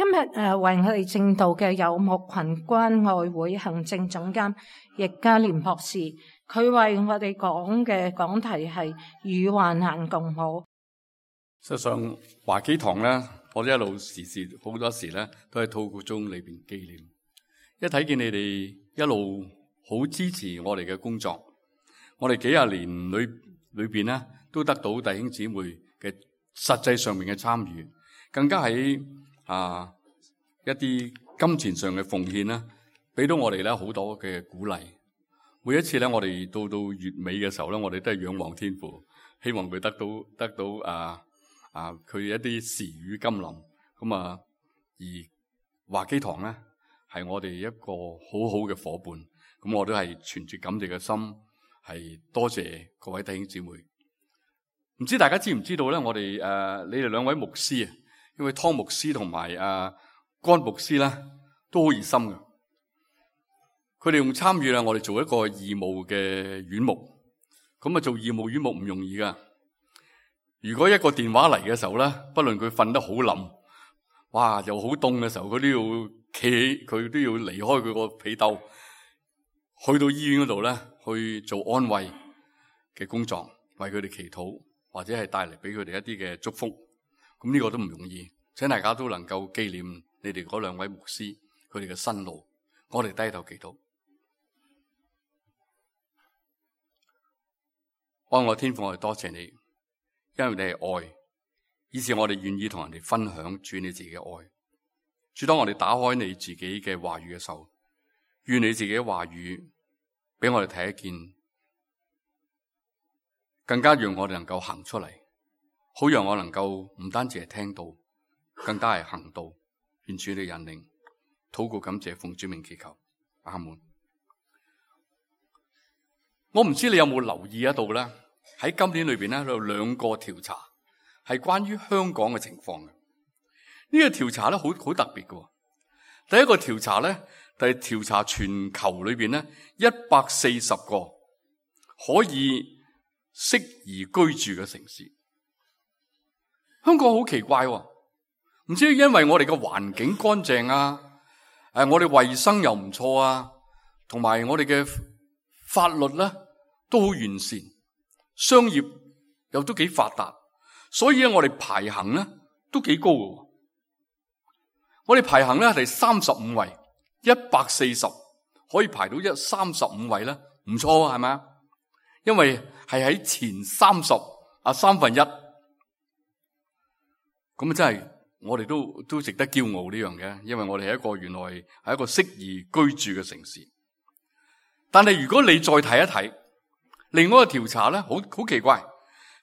今日為我哋證道嘅有牧群關愛會行政總監易家廉博士，佢為我哋講嘅講題係與患難共舞。實際上華基堂咧，我哋一路時好多時咧都喺禱告中裏邊紀念。一睇見你哋一路好支持我哋嘅工作，我哋幾廿年裏邊咧都得到弟兄姊妹嘅實際上面嘅參與，更加喺一啲金錢上嘅奉獻啦，俾到我哋咧好多嘅鼓勵。每一次咧，我哋到月尾嘅時候咧，我哋都係仰望天父，希望佢得到佢一啲時雨甘霖。咁而華基堂咧係我哋一個好好嘅夥伴。咁我都係存住感謝嘅心，係多謝各位弟兄姊妹。唔知大家知唔知道咧？我哋你哋兩位牧師啊，因為湯牧師同埋甘牧師咧都好熱心嘅，佢哋用參與啦，我哋做一個義務嘅院牧。咁做義務院牧唔容易噶。如果一個電話嚟嘅時候咧，不論佢瞓得好冧，哇又好凍嘅時候，佢都要企起，佢都要離開佢個被竇，去到醫院嗰度咧去做安慰嘅工作，為佢哋祈禱，或者係帶嚟俾佢哋一啲嘅祝福。咁呢個都唔容易，請大家都能夠紀念你哋嗰兩位牧師佢哋嘅辛勞。我哋低頭祈禱。愛我天父，我哋多謝你，因為你係愛，以致我哋願意同人哋分享主你自己嘅愛。主，當我哋打開你自己嘅話語嘅時候，願你自己嘅話語俾我哋睇得見，更加讓我哋能夠行出嚟，好讓我能夠唔單止係聽到，更加係行道。願主你引領，禱告感謝奉主名祈求，阿門。我唔知你有冇留意得到咧？喺今年裏邊咧有兩個調查係關於香港嘅情況嘅。呢個調查咧好特別嘅。第一個調查咧係調查全球裏邊咧140個可以適宜居住嘅城市。香港好奇怪喎，唔知因為我哋嘅環境乾淨啊，我哋衛生又唔錯啊，同埋我哋嘅法律咧都好完善，商業又都幾發達，所以咧我哋排行咧都幾高嘅。我哋排行咧係第35位，140可以排到35位咧，唔錯啊，係咪啊？因為係喺前30%，1/3。咁真係我哋都值得驕傲呢樣嘅，因為我哋係一個原來係一個適宜居住嘅城市。但係如果你再睇一睇另外一個調查咧，好奇怪，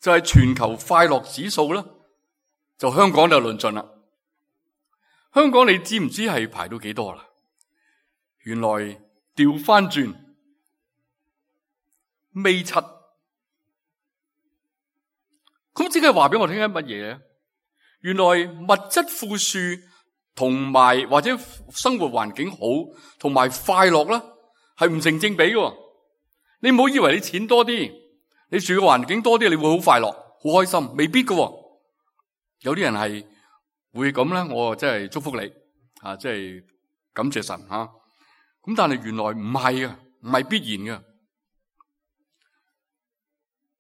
就係全球快樂指數咧，就香港就論盡啦。香港你知唔知係排到幾多啦？原來調翻轉尾7，咁即係話俾我聽緊乜嘢？原來物質富庶同埋或者生活環境好同埋快樂咧係唔成正比嘅。你唔好以為你錢多啲，你住嘅環境多啲，你會好快樂好開心，未必嘅。有啲人係會咁咧，我真係祝福你即係感謝神吓。咁但係原來唔係啊，唔係必然嘅。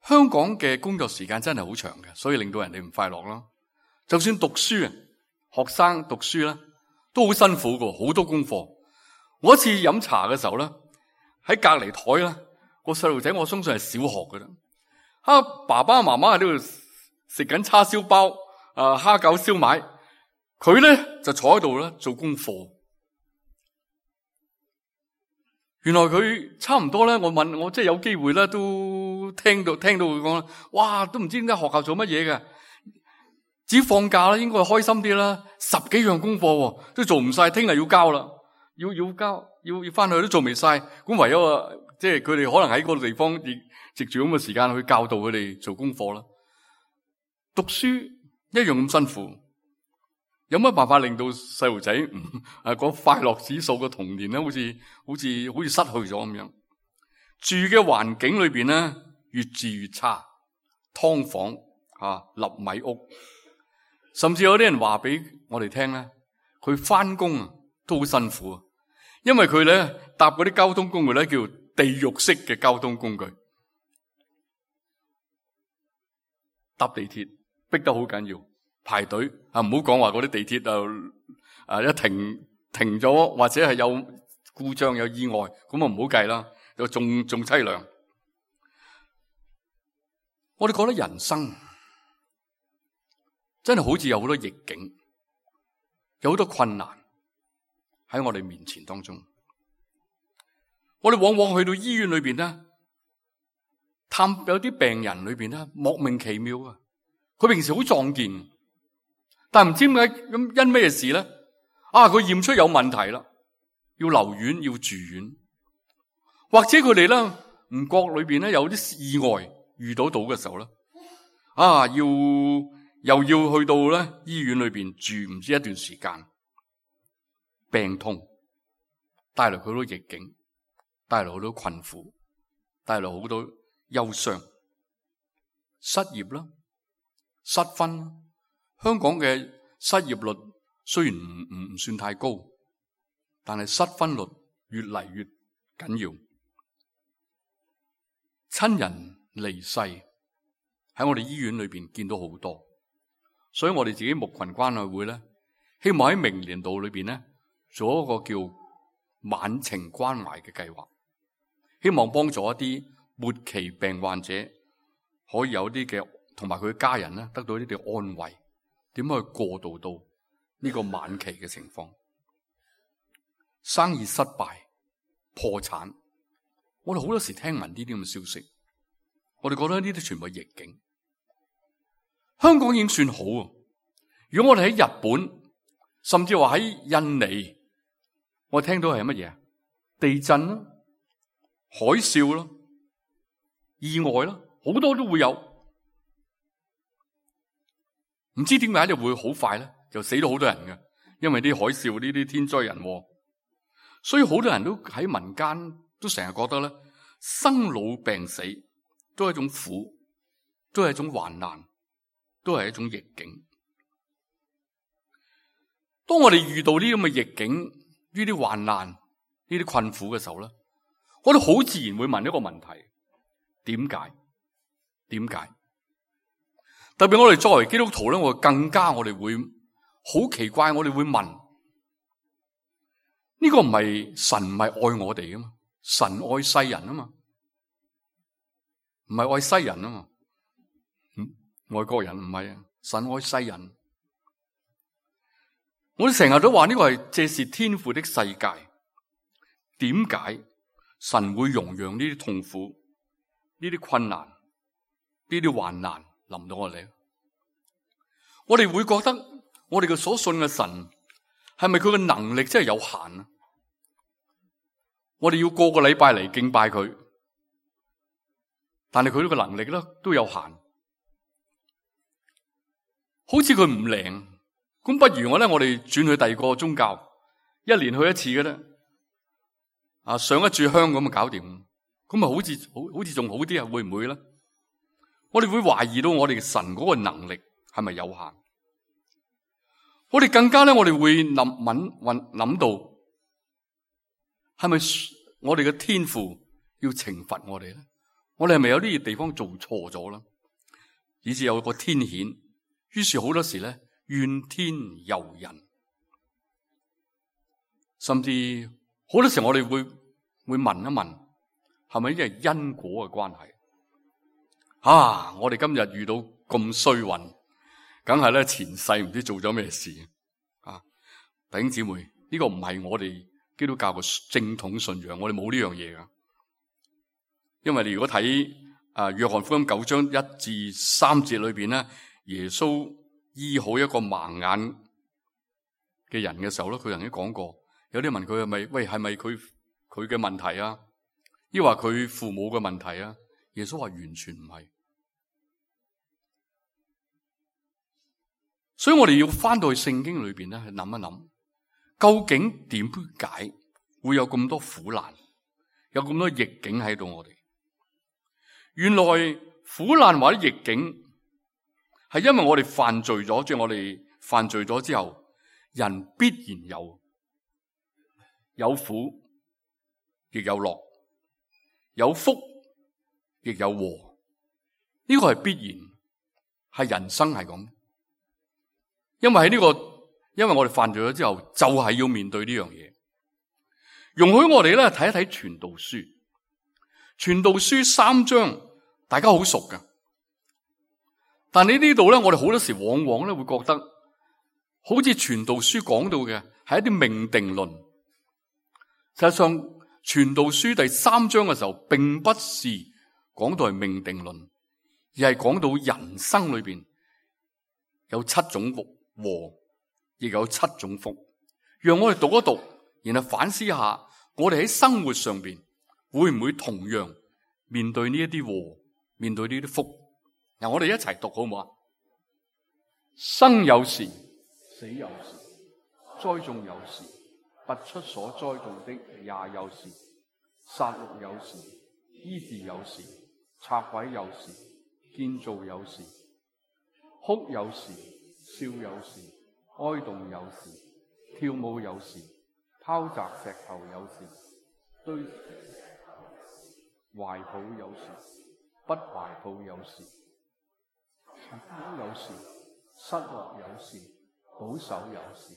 香港嘅工作時間真係好長嘅，所以令到人哋唔快樂咯。就算讀書啊，學生讀書咧都好辛苦嘅，好多功課。我一次飲茶嘅時候咧，喺隔籬台咧個細路仔，我相信係小學嘅啦。爸爸媽媽喺呢度食緊叉燒包、蝦餃、燒賣，佢咧就坐喺度咧做功課。原來佢差唔多咧，我即係有機會咧，都聽到佢講，哇，都唔知點解學校做乜嘢嘅。至於放假啦，應該開心啲啦。10幾樣功課都做唔晒，聽日要交啦，要交，要翻去都做未晒。咁唯有即係佢哋可能喺嗰個地方亦藉住咁嘅時間去教導佢哋做功課啦。讀書一樣咁辛苦，有乜辦法令到細路仔個快樂指數嘅童年咧，好似失去咗咁樣？住嘅環境裏邊咧，越住越差，劏房、納米屋。甚至有啲人話俾我哋聽咧，佢翻工啊都好辛苦啊，因為佢咧搭嗰啲交通工具咧叫地獄式嘅交通工具，搭地鐵逼得好緊要，排隊啊，唔好講話嗰啲地鐵一停咗或者係有故障有意外，咁啊唔好計啦，就仲凄涼。我哋覺得人生真係好似有好多逆境，有好多困難喺我哋面前當中。我哋往往去到醫院裏邊咧，探有啲病人裏邊咧，莫名其妙啊！佢平時好壯健，但唔知點解咁因咩事咧？佢驗出有問題啦，要留院要住院，或者佢哋咧唔覺裏邊咧有啲意外遇到嘅時候咧，又要去到咧醫院裏邊住唔知一段時間，病痛帶來好多逆境，帶來好多困苦，帶來好多憂傷，失業啦，失婚啦。香港嘅失業率雖然唔算太高，但係失婚率越嚟越緊要。親人離世喺我哋醫院裏邊見到好多，所以我哋自己牧群關愛會咧，希望喺明年度裏邊咧做一個叫晚晴關懷嘅計劃，希望幫助一啲末期病患者可以有啲嘅同埋佢嘅家人咧得到呢啲安慰，點樣去過渡到呢個晚期嘅情況。生意失敗、破產，我哋好多時聽聞呢啲咁嘅消息，我哋覺得呢啲全部係逆境。香港已經算好啊！如果我哋喺日本，甚至話喺印尼，我聽到係乜嘢？地震啦、海嘯啦、意外啦，好多都會有。唔知點解就會好快咧，就死咗好多人嘅，因為啲海嘯呢啲天災人禍。所以好多人都喺民間都成日覺得咧，生老病死都係一種苦，都係一種患難，都係一種逆境。當我哋遇到呢啲咁嘅逆境、呢啲患難、呢啲困苦嘅時候咧，我哋好自然會問一個問題：點解？點解？特別我哋作為基督徒咧，我哋會好奇怪，我哋會問：呢個唔係神唔係愛我哋噶嘛？神愛世人啊嘛，唔係愛西人啊嘛。外國人唔係啊，神愛世人。我哋成日都話呢個係這是天父的世界，點解神會容讓呢啲痛苦、呢啲困難、呢啲患難臨到我哋？我哋會覺得我哋嘅所信嘅神係咪佢嘅能力真係有限啊？我哋要個個禮拜嚟敬拜佢，但係佢呢個能力咧都有限，好似佢唔靈。咁不如我哋轉去第二個宗教，一年去一次嘅咧，上一炷香咁就搞掂，咁啊好似仲好啲啊？會唔會咧？我哋會懷疑到我哋神嗰個能力係咪有限？我哋更加咧，我哋會諗到，係咪我哋嘅天父要懲罰我哋咧？我哋係咪有啲地方做錯咗啦？以致有個天譴，於是好多時咧。怨天尤人，甚至好多時我哋會問一問，係咪因為因果嘅關係？我哋今日遇到咁衰運，梗係咧前世唔知做咗咩事啊！弟兄姊妹，呢個唔係我哋基督教嘅正統信仰，我哋冇呢樣嘢噶。因為你如果睇約翰福音9章1至3節裏邊咧，耶穌醫好一個盲眼嘅人嘅時候咧，佢曾經講過，有啲問佢係咪佢嘅問題啊？抑或佢父母嘅問題啊？耶穌話完全唔係。所以我哋要翻到去聖經裏邊咧，去諗一諗，究竟點解會有咁多苦難，有咁多逆境喺度？我哋原來苦難或者逆境，係因為我哋犯罪咗，即係我哋犯罪咗之後，人必然有苦，亦有樂，有福，亦有禍。呢個係必然，係人生係咁。因為我哋犯罪咗之後，就係要面對呢樣嘢。容許我哋咧睇一睇傳道書。傳道書3章，大家好熟㗎。但係呢度咧，我哋好多時往往咧會覺得，好似傳道書講到嘅係一啲命定論。實際上，傳道書第3章嘅時候，並不是講到係命定論，而係講到人生裏邊有7種禍，亦有7種福。讓我哋讀一讀，然後反思一下，我哋喺生活上邊會唔會同樣面對呢一啲禍，面對呢啲福？嗱，我哋一齊讀好唔好啊？生有時，死有時；栽種有時，拔出所栽種的也有時；殺戮有時，醫治有時；拆毀有時，建造有時；哭有時，笑有時；哀慟有時，跳舞有時；拋擲石頭有時，堆懷抱有時，不懷抱有時；有時，失落有時，保守有時，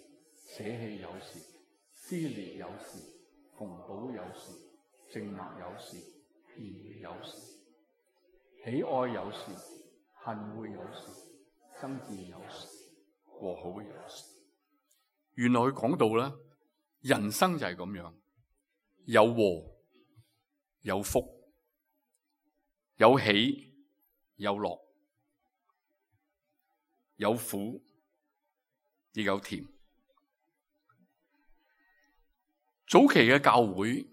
捨棄有時，撕裂有時，縫補有時，靜默有時，言語有時，喜愛有時，恨惡有時，爭戰有時，和好有時。原來佢講到咧，人生就係咁樣，有禍，有福，有喜，有樂，有苦，亦有甜。早期嘅教會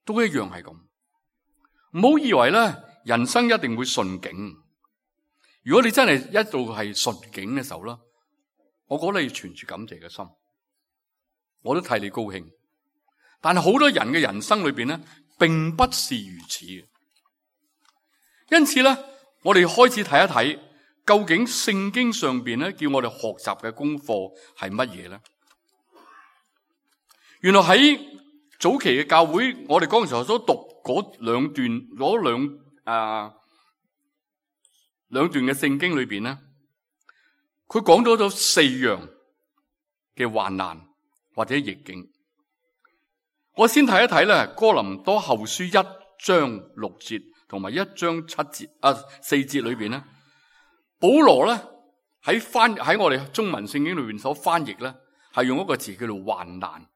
都一樣係咁，唔好以為咧人生一定會順境。如果你真係一度係順境嘅時候啦，我覺得你要存住感謝嘅心，我都替你高興。但係好多人嘅人生裏邊咧，並不是如此。因此咧，我哋開始睇一睇，究竟聖經上邊咧叫我哋學習嘅功課係乜嘢咧？原來喺早期嘅教會，我哋嗰陣時候所讀嗰兩段嘅聖經裏邊咧，佢講咗4樣嘅患難或者逆境。我先睇一睇咧，哥林多後書1章6節同埋1章4節裏邊咧，保羅咧喺我哋中文聖經裏邊所翻譯咧，係用一個字叫做患難，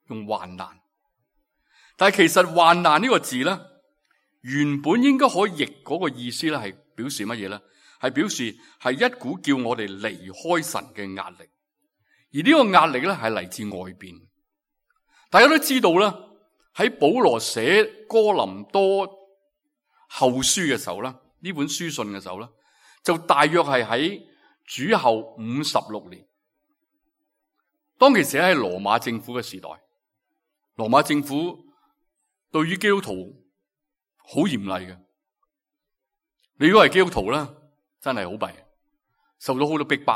用患難。但係其實患難呢個字咧，原本應該可以譯嗰個意思咧，係表示乜嘢咧？係表示係一股叫我哋離開神嘅壓力，而呢個壓力咧係嚟自外邊。大家都知道啦，喺保羅寫哥林多後書嘅時候咧，呢本書信嘅時候咧，就大約係喺主後56年。當其時喺羅馬政府嘅時代，羅馬政府對於基督徒好嚴厲嘅。你如果係基督徒咧，真係好弊，受到好多逼迫。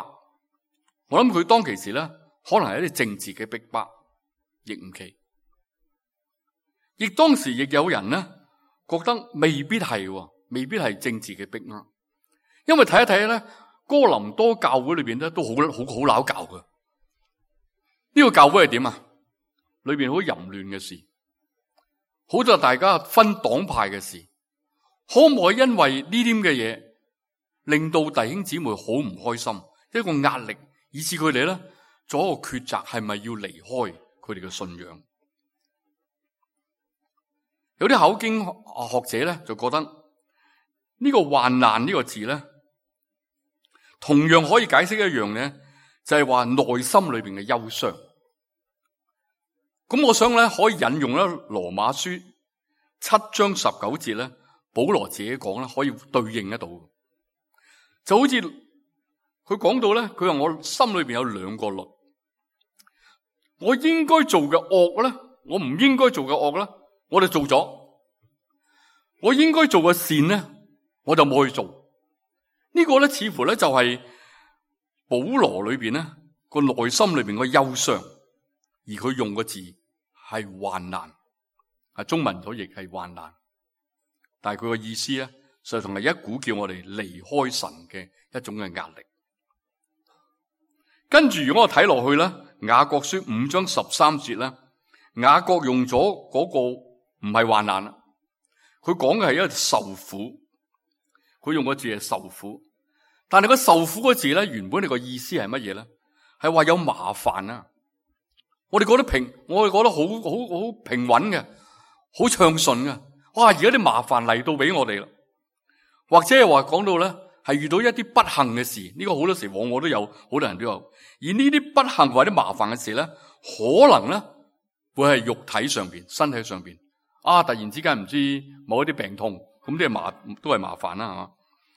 我諗佢當其時咧，可能係一啲政治嘅逼迫，亦唔奇。亦當時亦有人咧覺得未必係政治嘅逼迫，因為睇一睇咧，哥林多教會裏邊咧都好鬧教嘅。呢個教會係點啊？裏邊好淫亂嘅事，好多大家分黨派嘅事，可唔可以因為呢啲嘅嘢令到弟兄姊妹好唔開心，一個壓力，以致佢哋咧做一個抉擇，係咪要離開佢哋嘅信仰？有啲考經學者咧就覺得呢個患難呢個字咧，同樣可以解釋一樣咧，就係話內心裏邊嘅憂傷。咁我想咧可以引用咧羅馬書7章19節咧，保羅自己講咧可以對應得到，就好似佢講到咧，佢話我心裏邊有2個律，我應該做嘅惡咧，我唔應該做嘅惡咧，我哋做咗；我應該做嘅善咧，我就冇去做。呢個咧似乎咧就係保羅裏邊咧個內心裏邊個憂傷，而佢用個字係患難，中文所譯係患難，但係佢個意思咧，實際上係一股叫我哋離開神嘅一種嘅壓力。跟住如果我睇落去咧，雅各書5章13節咧，雅各用咗嗰個唔係患難啦，佢講嘅係一個受苦，佢用個字係受苦，但係個受苦個字咧，原本你個意思係乜嘢咧？係話有麻煩啊！我哋覺得好平穩嘅，好暢順嘅。哇！而家啲麻煩嚟到俾我哋啦，或者係話講到咧，係遇到一啲不幸嘅事，呢個好多時往往都有，好多人都有。而呢啲不幸或者麻煩嘅事咧，可能咧會係肉體上邊、身體上邊突然之間唔知某一啲病痛，咁啲都係麻煩啦，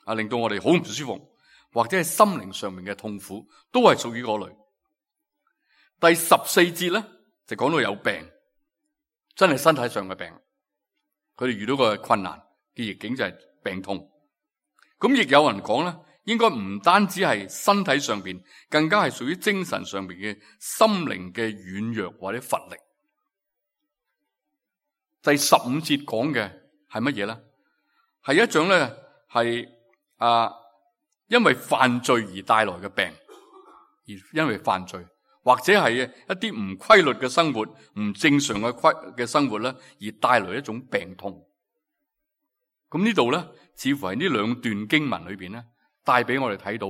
係嘛？令到我哋好唔舒服，或者係心靈上面嘅痛苦，都係屬於嗰類。第14節咧就講到有病，真係身體上嘅病，佢哋遇到個困難嘅逆境就係病痛。咁亦有人講咧，應該唔單止係身體上邊，更加係屬於精神上邊嘅心靈嘅軟弱或者乏力。第15節講嘅係乜嘢咧？係一種咧係因為犯罪而帶來嘅病，而因為犯罪或者係一啲唔規律嘅生活、唔正常嘅生活咧，而帶來一種病痛。咁呢度咧，似乎係呢兩段經文裏邊咧，帶俾我哋睇到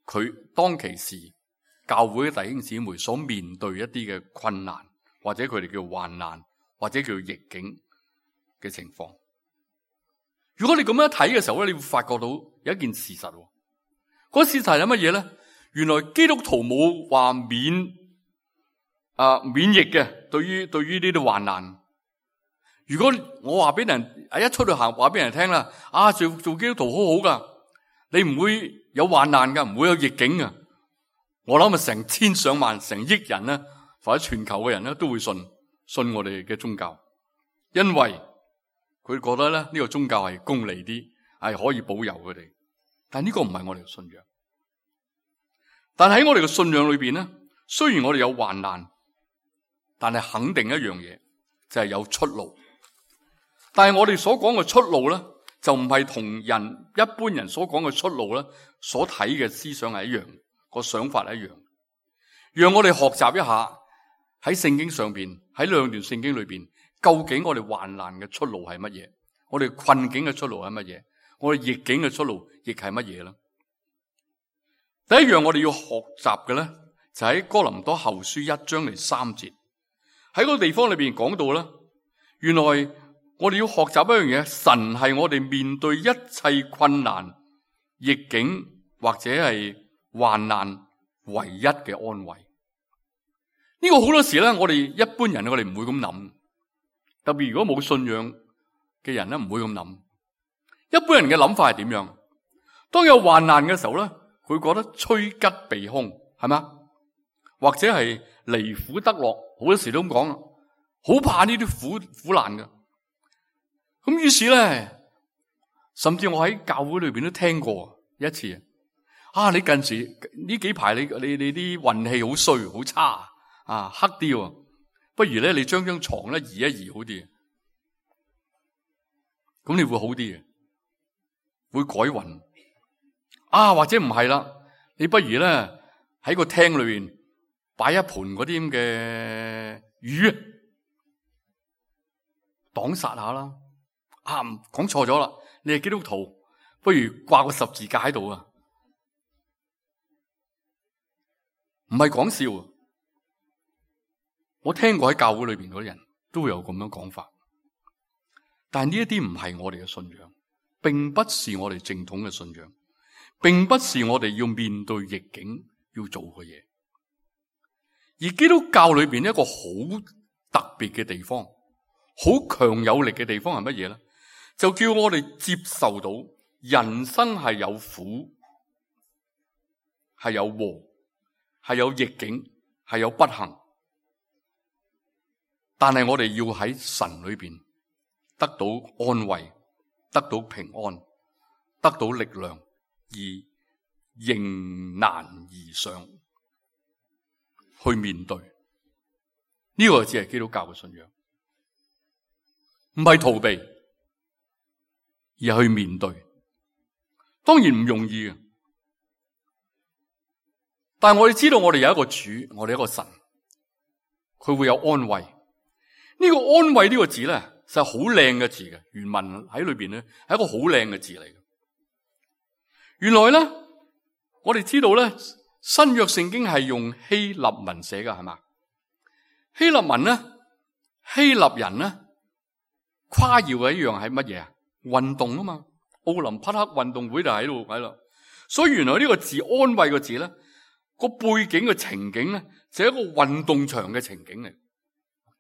佢當其時教會嘅弟兄姊妹所面對一啲嘅困難，或者佢哋叫患難，或者叫逆境嘅情況。如果你咁樣睇嘅時候咧，你會發覺到有一件事實。嗰事實係乜嘢咧？原來基督徒冇話免疫嘅，對於呢啲患難。如果我話俾人一出去行，話俾人聽啦，做基督徒好好噶，你唔會有患難噶，唔會有逆境噶。我諗成千上萬、成億人咧，或者全球嘅人咧，都會信我哋嘅宗教，因為佢覺得咧呢個宗教係公理啲，係可以保佑佢哋。但呢個唔係我哋嘅信仰。但喺我哋嘅信仰裏邊咧，雖然我哋有患難，但係肯定一樣嘢，就係有出路。但係我哋所講嘅出路咧，就唔係同一般人所講嘅出路咧，所睇嘅思想係一樣，個想法係一樣。讓我哋學習一下喺聖經上邊，喺兩段聖經裏邊，究竟我哋患難嘅出路係乜嘢？我哋困境嘅出路係乜嘢？我哋逆境嘅出路亦係乜嘢咧？第一樣我哋要學習嘅咧，就喺哥林多後書1章3節，喺個地方裏邊講到咧，原來我哋要學習一樣嘢，神係我哋面對一切困難、逆境或者係患難唯一嘅安慰。呢個好多時咧，我哋一般人我哋唔會咁諗，特別如果冇信仰嘅人咧，唔會咁諗。一般人嘅諗法係點樣？當有患難嘅時候咧，佢覺得趨吉避凶，係咪？或者係離苦得樂，好多時都咁講，好怕呢啲苦難嘅。咁於是咧，甚至我喺教會裏邊都聽過一次，你近時呢幾排你啲運氣好衰好差黑啲，不如咧你將張床咧移一移好啲，咁你會好啲嘅，會改運。或者唔係啦，你不如咧喺個廳裏邊擺一盤嗰啲咁嘅魚，擋煞下啦。講錯咗啦，你係基督徒，不如掛個十字架喺度啊！唔係講笑，我聽過喺教會裏邊嗰啲人都會有咁樣講法，但係呢一啲唔係我哋嘅信仰，並不是我哋正統嘅信仰。並不是我哋要面對逆境要做嘅嘢，而基督教裏邊一個好特別嘅地方，好強有力嘅地方係乜嘢咧？就叫我哋接受到人生係有苦，係有禍，係有逆境，係有不幸，但係我哋要喺神裏邊得到安慰，得到平安，得到力量。而迎難而上，去面對。呢個只係基督教嘅信仰，唔係逃避，而係去面對。當然唔容易嘅，但係我哋知道我哋有一個主，我哋一個神，佢會有安慰。呢個安慰呢個字咧，實係好靚嘅字嘅，原文喺裏邊咧係一個好靚嘅字嚟嘅。原來咧，我哋知道咧，新約聖經係用希臘文寫嘅，係嘛？希臘文咧，希臘人咧誇耀嘅一樣係乜嘢啊？運動啊嘛，奧林匹克運動會就喺度。所以原來呢個字安慰個字咧，個背景嘅情景咧，就係一個運動場嘅情景嚟。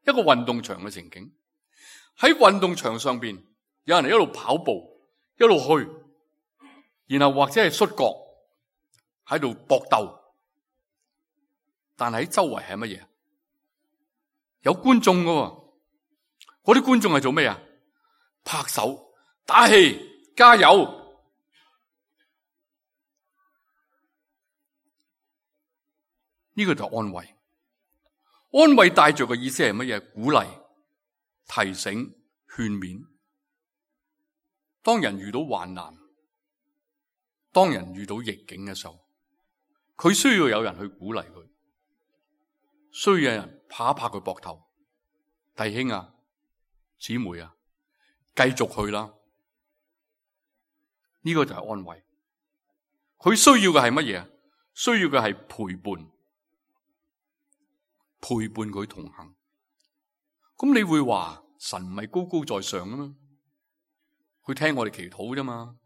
一個運動場嘅情景，喺運動場上邊，有人一路跑步，一路去，然後或者係摔角，喺度搏鬥。但係喺周圍係乜嘢？有觀眾噶，嗰啲觀眾係做咩啊？拍手、打氣、加油。呢個就係安慰。安慰帶着嘅意思係乜嘢？鼓勵、提醒、勸勉。當人遇到患難，當人遇到逆境嘅時候，佢需要有人去鼓勵佢，需要有人拍一拍佢膊頭，弟兄啊、姊妹啊，繼續去啦。呢個就係安慰。佢需要嘅係乜嘢？需要嘅係陪伴。陪伴佢同行。咁你會話神唔係高高在上啊嘛？佢聽我哋祈禱啫嘛？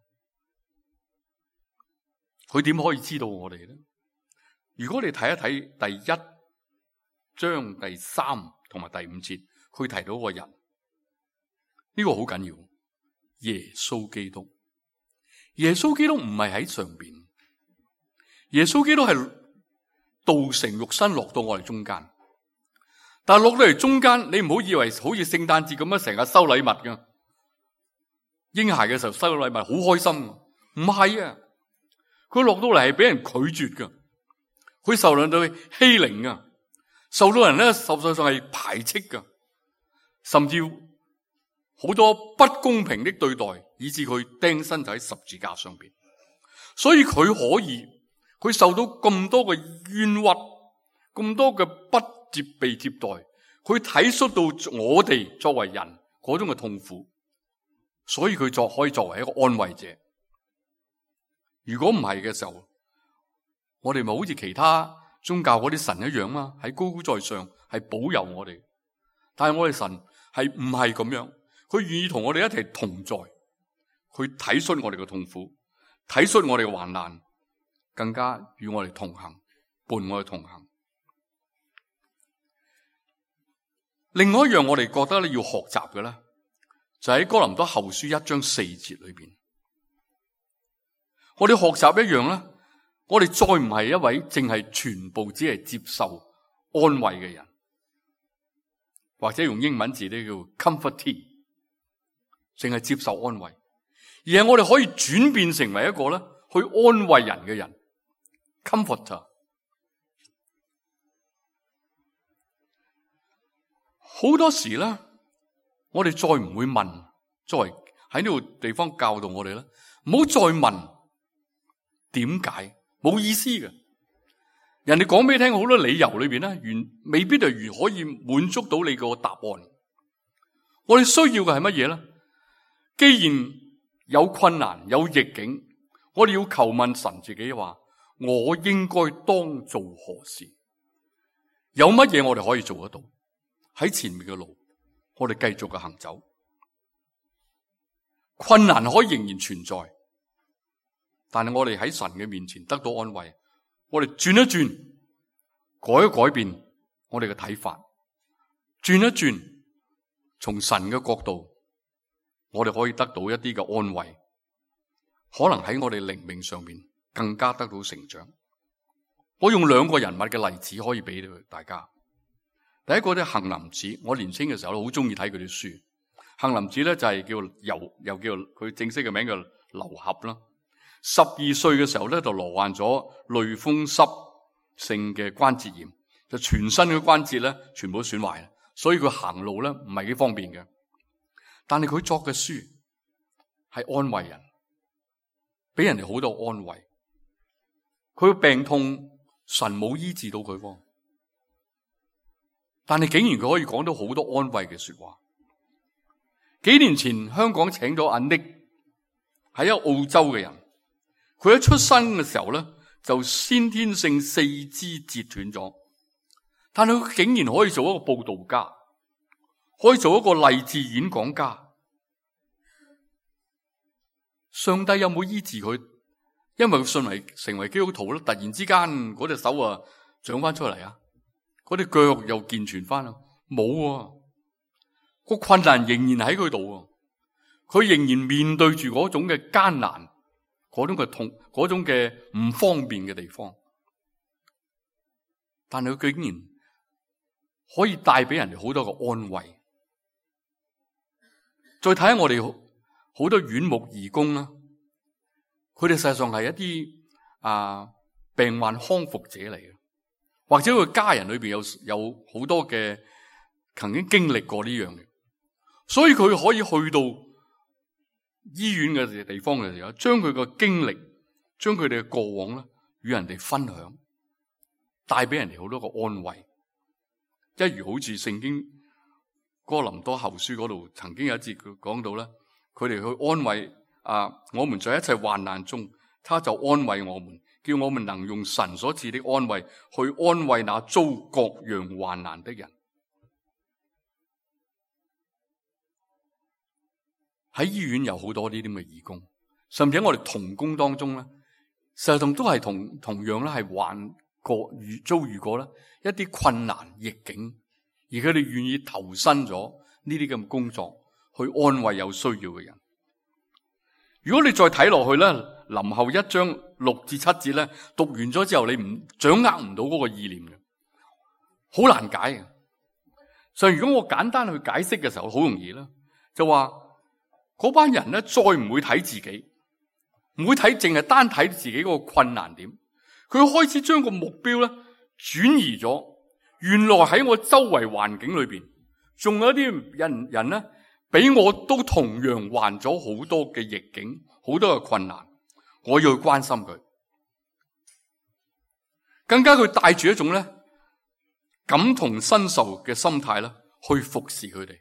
佢點可以知道我哋咧？如果你睇一睇第1章第3同埋第5節，佢提到個人，呢個好緊要。耶穌基督，耶穌基督唔係喺上邊，耶穌基督係道成肉身落到我哋中間。但係落到嚟中間，你唔好以為好似聖誕節咁樣成日收禮物噶，嬰孩嘅時候收禮物好開心，唔係啊！佢落到嚟係俾人拒絕噶，佢受到欺凌啊，受到人咧實際上係排斥噶，甚至好多不公平的對待，以致佢釘身就喺十字架上邊。所以佢佢受到咁多嘅冤屈，咁多嘅不被接待，佢體恤到我哋作為人嗰種嘅痛苦，所以佢可以作為一個安慰者。如果唔係嘅時候，我哋咪好似其他宗教嗰啲神一樣嘛，喺高高在上，係保佑我哋。但係我哋神係唔係咁樣，佢願意同我哋一齊同在，佢體恤我哋嘅痛苦，體恤我哋嘅患難，更加與我哋同行，伴我哋同行。另外一樣我哋覺得要學習嘅咧，就喺哥林多後書1章4節裏邊，我哋學習一樣咧，我哋再唔係一位淨係全部只係接受安慰嘅人，或者用英文字咧叫 comfortee， 淨係接受安慰，而係我哋可以轉變成為一個咧去安慰人嘅人 ，comforter。好多時咧，我哋再唔會問，作為喺呢個地方教導我哋咧，唔好再問點解，冇意思嘅。人哋講俾你聽好多理由裏邊咧，未必就可以滿足到你個答案。我哋需要嘅係乜嘢咧？既然有困難有逆境，我哋要求問神自己話：我應該當做何事？有乜嘢我哋可以做得到？喺前面嘅路，我哋繼續嘅行走。困難可以仍然存在，但係我哋喺神嘅面前得到安慰。我哋轉一轉，改一改變我哋嘅睇法，轉一轉，從神嘅角度，我哋可以得到一啲嘅安慰。可能喺我哋靈命上面更加得到成長。我用2個人物嘅例子可以俾到大家。第一個咧，杏林子，我年輕嘅時候好中意睇佢啲書。杏林子咧就係又叫佢正式嘅名叫劉俠啦。12歲嘅時候咧就罹患咗類風濕性嘅關節炎，就全身嘅關節咧全部都損壞，所以佢行路咧唔係幾方便嘅。但係佢作嘅書係安慰人，俾人哋好多安慰。佢嘅病痛神冇醫治到佢喎，但係竟然佢可以講到好多安慰嘅說話。幾年前香港請咗阿 Nick， 係一個澳洲嘅人，佢一出生嘅時候咧就先天性四肢折斷咗，但係佢竟然可以做一個佈道家，可以做一個勵志演講家。上帝有冇醫治佢？因為佢成為基督徒咧，突然之間嗰隻手啊長翻出嚟啊，嗰啲腳又健全翻啊？冇啊，個困難仍然喺佢度啊，佢仍然面對住嗰種嘅艱難，嗰種嘅痛，嗰種嘅唔方便嘅地方。但係佢竟然可以帶俾人哋好多個安慰。再睇下我哋好多院牧義工啦，佢哋實際上係一啲病患康復者嚟嘅，或者佢家人裏邊有好多嘅曾經經歷過呢樣嘅，所以佢可以去到醫院嘅地方嘅時候，將佢嘅經歷，將佢哋嘅過往咧與人哋分享，帶俾人哋好多個安慰。一如好似聖經哥林多後書嗰度曾經有一節佢講到咧，佢哋去安慰我們在一切患難中，他就安慰我們，叫我們能用神所賜的安慰去安慰那遭各樣患難的人。喺醫院有好多呢啲咁嘅義工，甚至喺我哋同工當中咧，實際上都係同樣咧係遭遇過咧一啲困難逆境，而佢哋願意投身咗呢啲咁嘅工作去安慰有需要嘅人。如果你再睇落去咧，林後1章6至7節咧，讀完咗之後，你掌握唔到嗰個意念嘅，好難解嘅。所以如果我簡單去解釋嘅時候，好容易啦，就話嗰班人咧再唔會睇自己，唔會睇淨係單睇自己嗰個困難點，佢開始將個目標咧轉移咗。原來喺我周圍環境裏邊，仲有一啲人咧，比我都同樣患咗好多嘅逆境，好多嘅困難，我要去關心佢。更加佢帶住一種咧感同身受嘅心態咧，去服侍佢哋，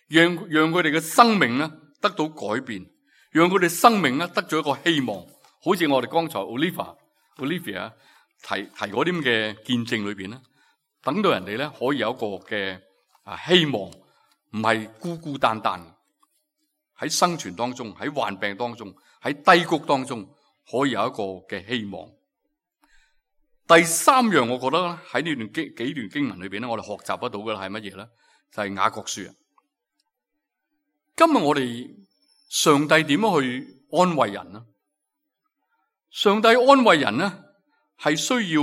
讓佢哋嘅生命咧得到改變，讓佢哋生命咧得咗一個希望。好似我哋剛才 Olivia 提嗰啲咁嘅見證裏邊咧，等到人哋咧可以有一個嘅希望，唔係孤孤單單喺生存當中，喺患病當中，喺低谷當中，可以有一個嘅希望。第三樣，我覺得喺呢幾段經文裏邊咧，我哋學習得到嘅係乜嘢咧？就係雅各書。今日我哋上帝點樣去安慰人呢？上帝安慰人呢，係需要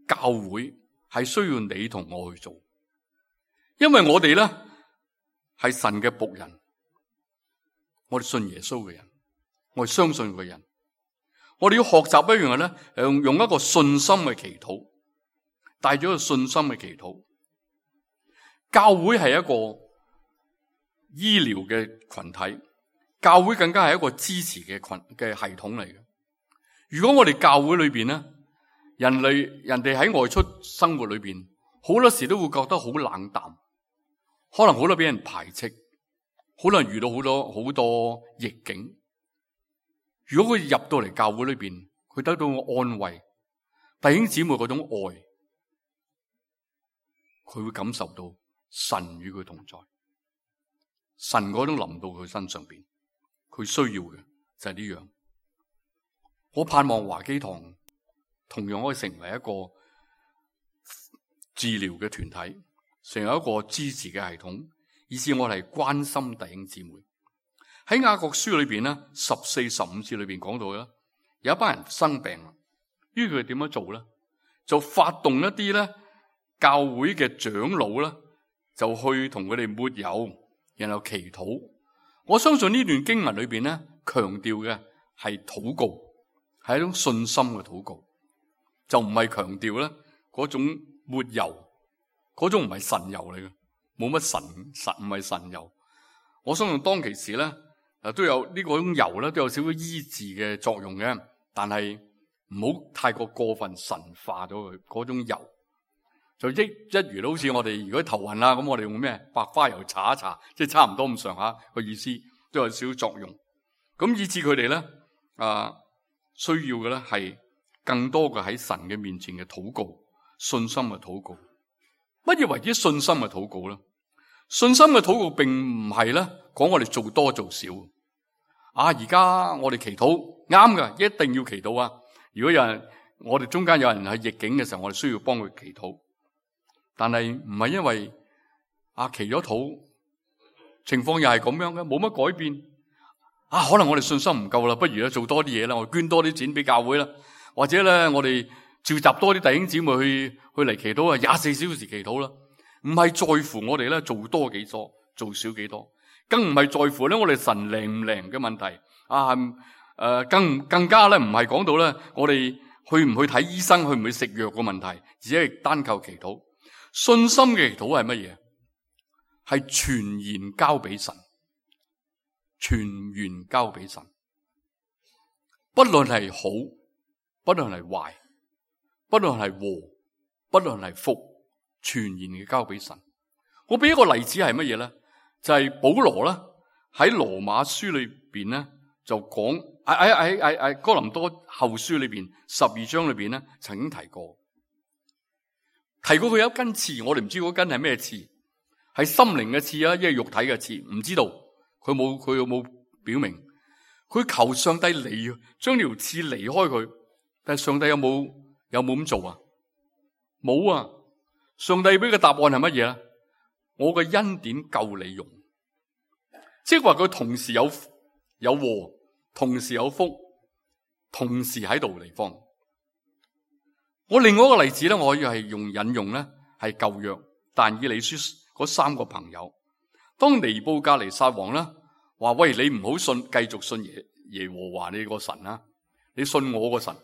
教會，係需要你同我去做，因為我哋咧係神嘅僕人，我哋信耶穌嘅人，我哋相信嘅人，我哋要學習一樣嘢咧，用一個信心嘅祈禱，帶咗一個信心嘅祈禱。教會係一個醫療嘅群體，教會更加係一個支持嘅系統嚟嘅。如果我哋教會裏邊咧，人哋喺外出生活裏邊，好多時都會覺得好冷淡，可能好多俾人排斥，可能遇到好多逆境。如果佢入到嚟教會裏邊，佢得到安慰，弟兄姊妹嗰種愛，佢會感受到神與佢同在，神嗰種臨到佢身上邊，佢需要嘅就係呢樣。我盼望華基堂同樣可以成為一個治療嘅團體，成為一個支持嘅系統，以致我哋關心弟兄姊妹。喺雅各書裏邊咧，14、15節裏邊講到嘅，有一班人生病啦，於是佢點樣做咧？就發動一啲咧教會嘅長老咧，就去同佢哋抹油，然後祈禱。我相信呢段經文裏邊咧，強調嘅係禱告，係一種信心嘅禱告，就唔係強調咧嗰種抹油嗰種唔係神油嚟嘅，冇乜神唔係神油。我相信當其時咧，都有呢個種油咧，都有少少醫治嘅作用嘅，但係唔好太過分神化咗佢嗰種油。就一如好似我哋如果頭暈啦，咁我哋用咩白花油搽一搽，即係差唔多咁上下個意思，都有少少作用。咁以致佢哋咧需要嘅咧係更多嘅喺神嘅面前嘅禱告，信心嘅禱告。乜嘢為之信心嘅禱告咧？信心嘅禱告並唔係咧講我哋做多做少。而家我哋祈禱啱㗎，一定要祈禱啊！如果有人我哋中間有人係逆境嘅時候，我哋需要幫佢祈禱。但係唔係因為祈咗禱，情況又係咁樣嘅，冇乜改變。可能我哋信心唔夠啦，不如咧做多啲嘢啦，我哋捐多啲錢俾教會啦，或者咧我哋召集多啲弟兄姊妹去嚟祈禱啊，24小時祈禱啦。唔係在乎我哋咧做多幾多，做少幾多，更唔係在乎咧我哋神靈唔靈嘅問題。更加咧唔係講到咧我哋去唔去睇醫生，去唔去食藥嘅問題，只係單靠祈禱。信心嘅祈禱係乜嘢？係全然交俾神，全然交俾神。不論係好，不論係壞，不論係禍，不論係福，全然嘅交俾神。我俾一個例子係乜嘢咧？就係保羅啦，喺羅馬書裏邊咧就講喺哥林多後書裏邊12章裏邊咧曾經提過佢有一根刺，我哋唔知嗰根係咩刺，係心靈嘅刺啊，一係肉體嘅刺，唔知道。佢有冇表明？佢求上帝將條刺離開佢，但係上帝有冇咁做啊？冇啊！上帝俾嘅答案係乜嘢咧？我嘅恩典夠你用，即係話佢同時有禍，同時有福，同時喺度地方。我另外一個例子咧，我可以係引用咧，係舊約但以理書嗰3個朋友。當尼布甲尼撒王咧話：喂，你唔好繼續信耶和華你個神啦，你信我個神。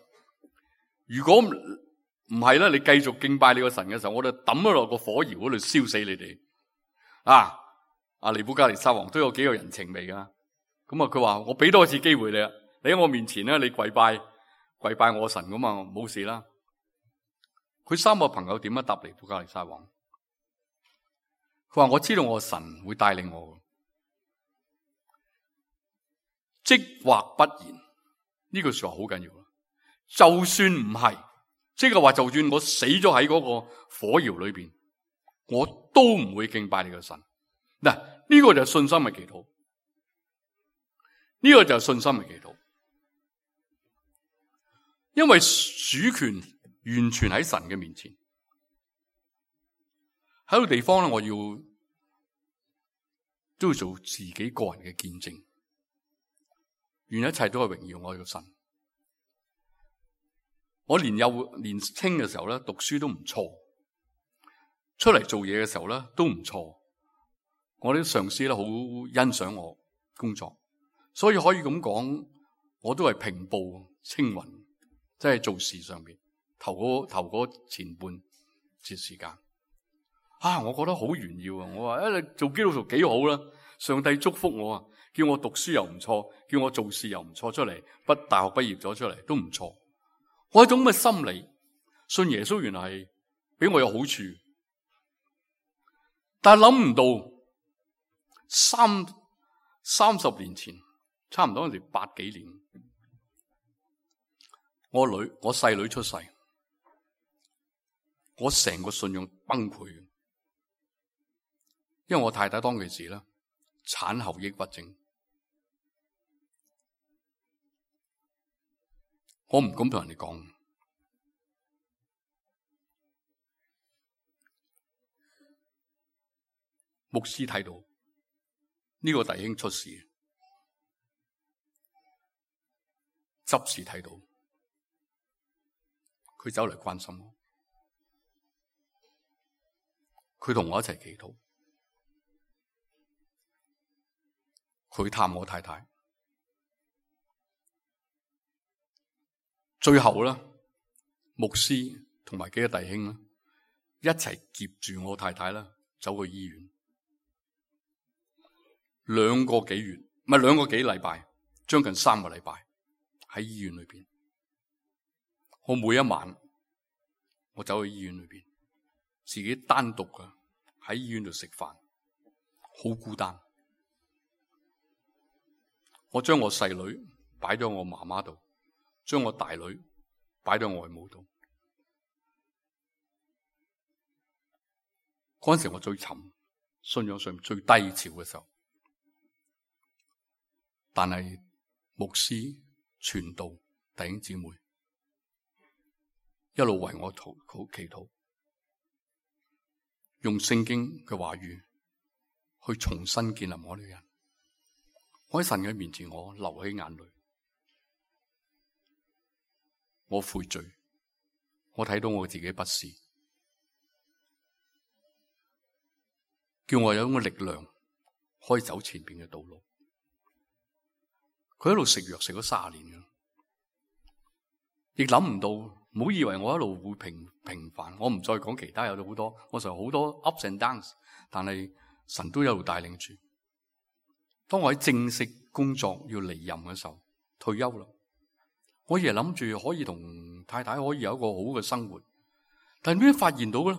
如果唔係咧，你繼續敬拜你個神嘅時候，我就抌咗落個火窯嗰度燒死你哋。尼布甲尼撒王都有幾個人情味噶。咁佢話：我俾多一次機會你啦，你喺我面前咧，你跪拜我神咁啊，冇事啦。佢3個朋友點樣答尼布甲尼撒王？佢話：我知道我神會帶領我，即或不然。呢句說話好緊要。就算唔係，即係話就算我死咗喺嗰個火窯裏邊，我都唔會敬拜你個神。嗱，呢個就係信心嘅祈禱。呢個就係信心嘅祈禱。因為主權完全喺神嘅面前。喺個地方咧，我都要做自己個人嘅見證，願一切都係榮耀我嘅神。我年輕嘅時候咧，讀書都唔錯，出嚟做嘢嘅時候咧都唔錯。我啲上司咧好欣賞我工作，所以可以咁講，我都係平步青雲，即係做事上面頭嗰前半節時間。我覺得好炫耀啊！我話你做基督徒幾好啦，上帝祝福我啊，叫我讀書又唔錯，叫我做事又唔錯，出嚟大學畢業咗出嚟都唔錯。我一種咁嘅心理，信耶穌原來係俾我有好處，但係諗唔到30年前，差唔多嗰時80幾年，我細女出世，我成個信仰崩潰。因為我太太當其時咧產後抑鬱症，我唔敢同人哋講。牧師睇到呢個弟兄出事，執事睇到，佢走嚟關心我，佢同我一齊祈禱。佢探我太太，最後咧，牧師同埋幾個弟兄咧，一齊夾住我太太啦，走去醫院2個幾月，唔係2個幾禮拜，將近3個禮拜喺醫院裏邊。我每一晚我走去醫院裏邊，自己單獨嘅喺醫院度食飯，好孤單。我將我細女擺咗我媽媽度，將我大女擺咗外母度。嗰陣時我最沉，信仰上最低潮嘅時候，但係牧師、傳道、弟兄姊妹一路為我祈禱，用聖經嘅話語去重新建立我呢個人。我喺神嘅面前，我流起眼淚，我悔罪，我睇到我自己不是，叫我有一個力量可以走前邊嘅道路。佢一路食藥食咗30年嘅，亦諗唔到，唔好以為我一路會平凡。我唔再講其他，有咗好多，我實有好多 ups and downs， 但係神都一路帶領住。當我喺正式工作要離任嘅時候，退休啦，我亦係諗住可以同太太可以有一個好嘅生活，但係點解發現到咧？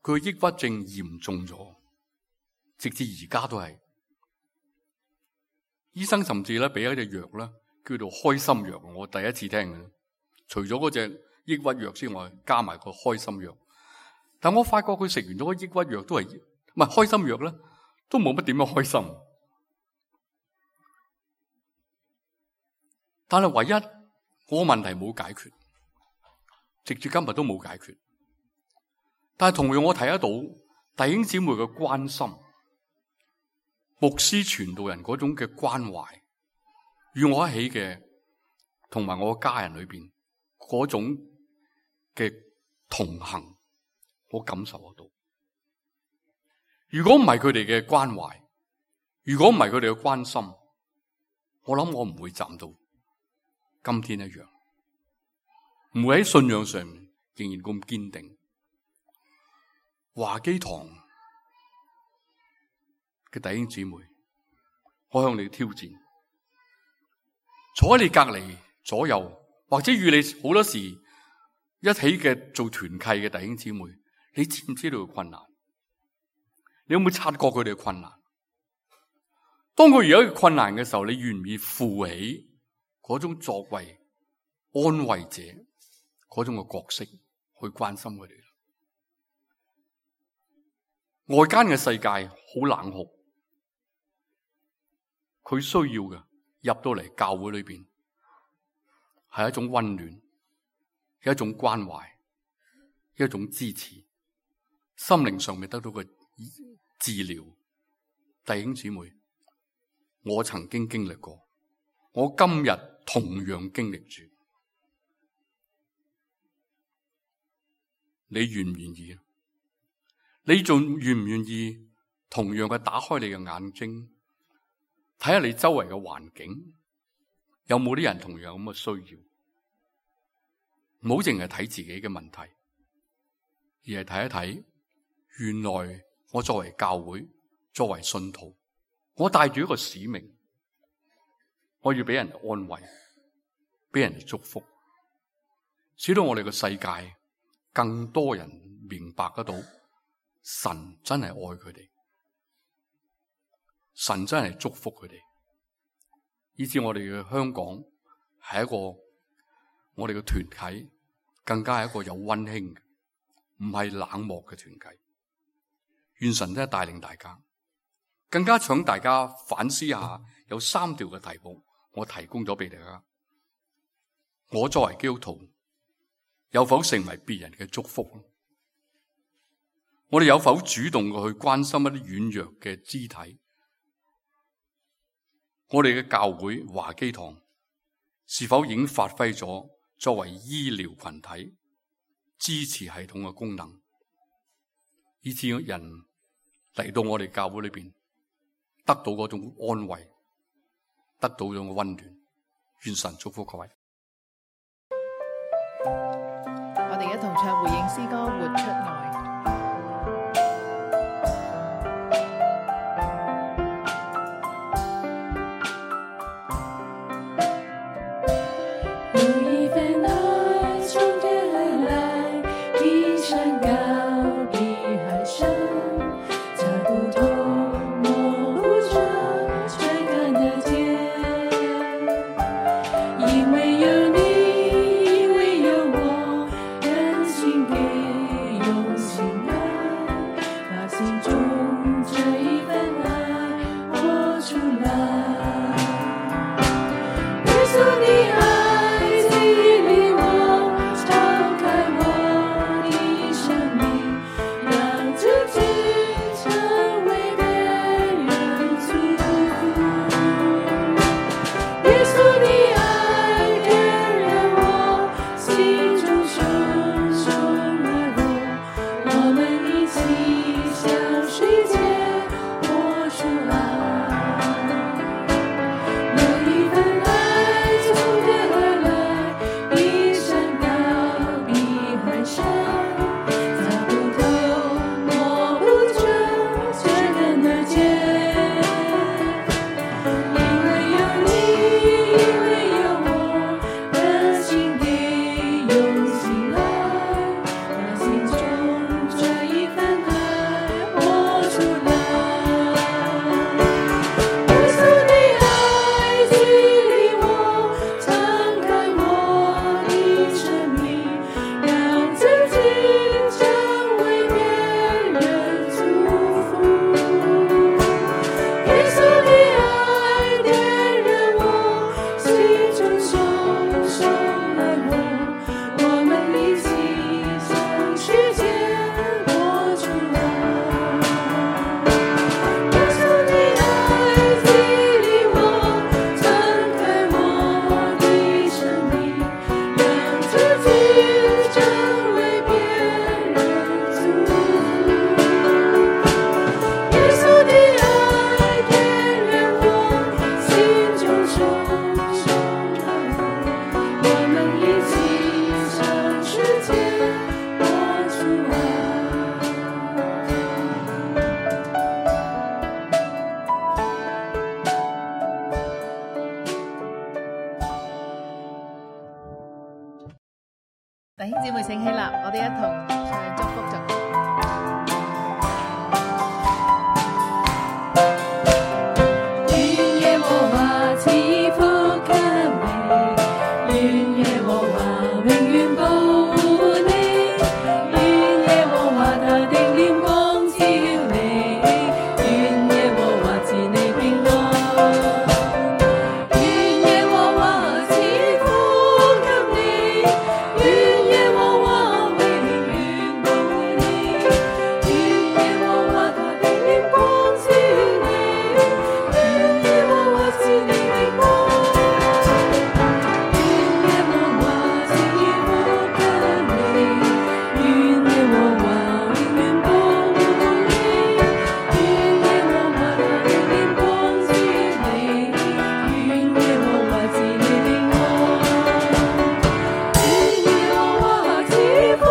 佢嘅抑鬱症嚴重咗，直至而家都係。醫生甚至咧俾一隻藥咧，叫做開心藥，我第一次聽嘅。除咗嗰隻抑鬱藥之外，加埋個開心藥。但我發覺佢食完咗個抑鬱藥都係唔係開心藥咧，都冇乜點樣開心。但係唯一我個問題冇解決，直至今日都冇解決。但係同樣我睇得到弟兄姊妹嘅關心，牧師傳道人嗰種嘅關懷，與我一起嘅同埋我家人裏邊嗰種嘅同行，我感受得到。如果唔係佢哋嘅關懷，如果唔係佢哋嘅關心，我諗我唔會站到今天一樣，唔會喺信仰上面仍然咁堅定。華基堂嘅弟兄姊妹，我向你挑戰，坐喺你隔籬左右，或者與你好多時一起嘅做團契嘅弟兄姊妹，你知唔知道佢困難？你有冇察覺佢哋嘅困難？當佢有一個困難嘅時候，你願唔願意負起嗰種作為安慰者嗰種嘅角色去關心佢哋？外間嘅世界好冷酷，佢需要嘅入到嚟教會裏邊係一種溫暖，一種關懷，一種支持，心靈上面得到嘅治療。弟兄姊妹，我曾經經歷過，我今日同樣經歷住，你願唔願意？你仲願唔願意同樣嘅打開你嘅眼睛，睇下你周圍嘅環境有冇啲人同樣咁嘅需要？唔好淨係睇自己嘅問題，而係睇一睇，原來我作為教會，作為信徒，我帶住一個使命，我要俾人安慰，俾人祝福，使到我哋嘅世界更多人明白得到神真係愛佢哋，神真係祝福佢哋，以至我哋嘅香港係一個我哋嘅團體，更加係一個有溫馨嘅，唔係冷漠嘅團體。願神真係帶領大家，更加請大家反思下，有3條嘅題目，我提供咗俾大家。我作為基督徒，有否成為別人嘅祝福？我哋有否主動去關心一啲軟弱嘅肢體？我哋嘅教會華基堂是否已經發揮咗作為醫療群體支持系統嘅功能，以致人嚟到我哋教會裏邊得到嗰種安慰，得到嗰種溫暖？願神祝福各位。我哋一同唱回應詩歌《活出愛》。姊妹請起立，我哋一同唱祝福頌。願耶和華賜福給你，願耶和華永遠保護你，願耶和華他的臉光照你，願耶和華賜你平安。願耶和華賜福給你，願耶和華永遠保護你，願耶和華他的臉光照你，願耶和華賜你平安。願耶和華賜福給你，願耶和華永遠保護你，願耶和華他的臉光照你，願耶和華賜你平安。願耶和華賜福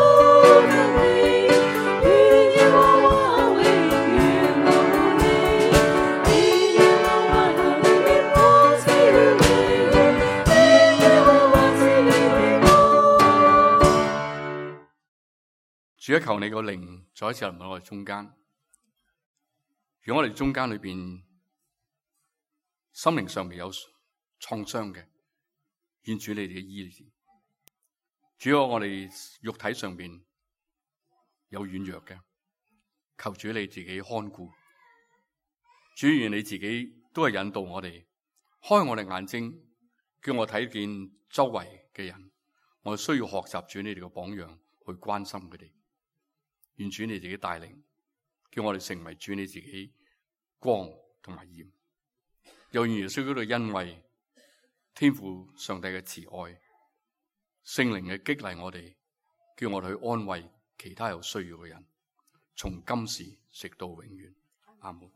給你，願耶和華永遠保護你，願耶和華他的臉光照你，願耶和華賜你平安。主啊，求你個靈再一次臨喺我哋中間。如果我哋中間裏邊心靈上面有創傷嘅，願主你哋嘅醫治。主啊，我哋肉體上邊有軟弱嘅，求主你自己看顧。主願你自己都係引導我哋，開我哋眼睛，叫我睇見周圍嘅人。我哋需要學習主你哋嘅榜樣，去關心佢哋。願主你自己帶領，叫我哋成為主你自己光同埋鹽。又願耶穌基督嘅恩惠、天父上帝嘅慈愛、聖靈嘅激勵我哋，叫我哋去安慰其他有需要嘅人，從今時直到永遠。阿門。